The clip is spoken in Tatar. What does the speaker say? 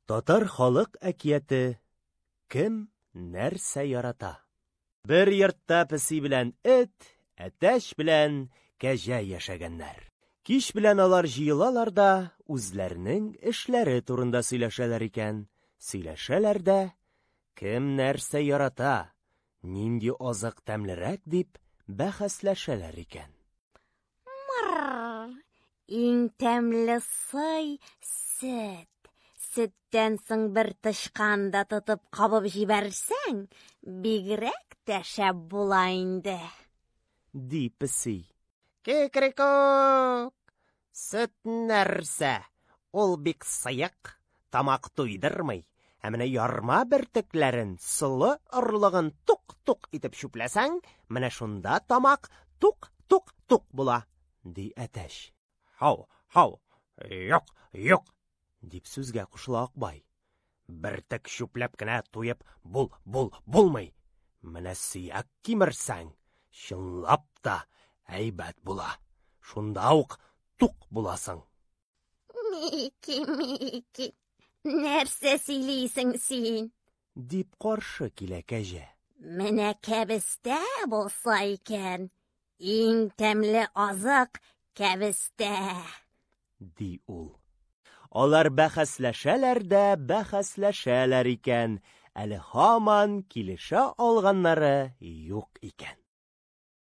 Татар халык әкияте Кем нәрсә ярата? Бер йортта песи белән эт, әтәч белән кәҗә яшәгәннәр. Кич белән алар җыелалар да үзләренең эшләре турында сөйләшәләр икән. Сөйләшәләр дә, кем нәрсә ярата, нинди азык тәмлерәк дип бәхәсләшәләр икән. Мырр! Иң тәмле сый сөт. Сөттән соң бер тычкан да тотып кабып җибәрсәң, бигрәк тә шәп була инде. Ди песи. Кикрикүк! Сөт нәрсә? Ул бик сыек, тамак туйдырмый. Ә менә ярма бөртекләрен, солы орлыгын тук-тук итеп чүпләсәң, менә шунда тамак тук-тук-тук була, ди әтәч. Һау, һау, юк, юк, дип сүзгә кушыла Акбай. Бөртек чүпләп кенә туеп бул, бул, булмый. Менә сөяк кимерсәң, чынлап та әйбәт була. Шунда ук тук буласың. Мики, Мики, нәрсә сөйлисең син? Дип каршы килә кәҗә. Менә кәбестә булса икән, иң тәмле азык кәбестә. Ди ул. Алар бәхәсләшәләр дә бәхәсләшәләр икән, әле һаман килешә алганнары юк икән.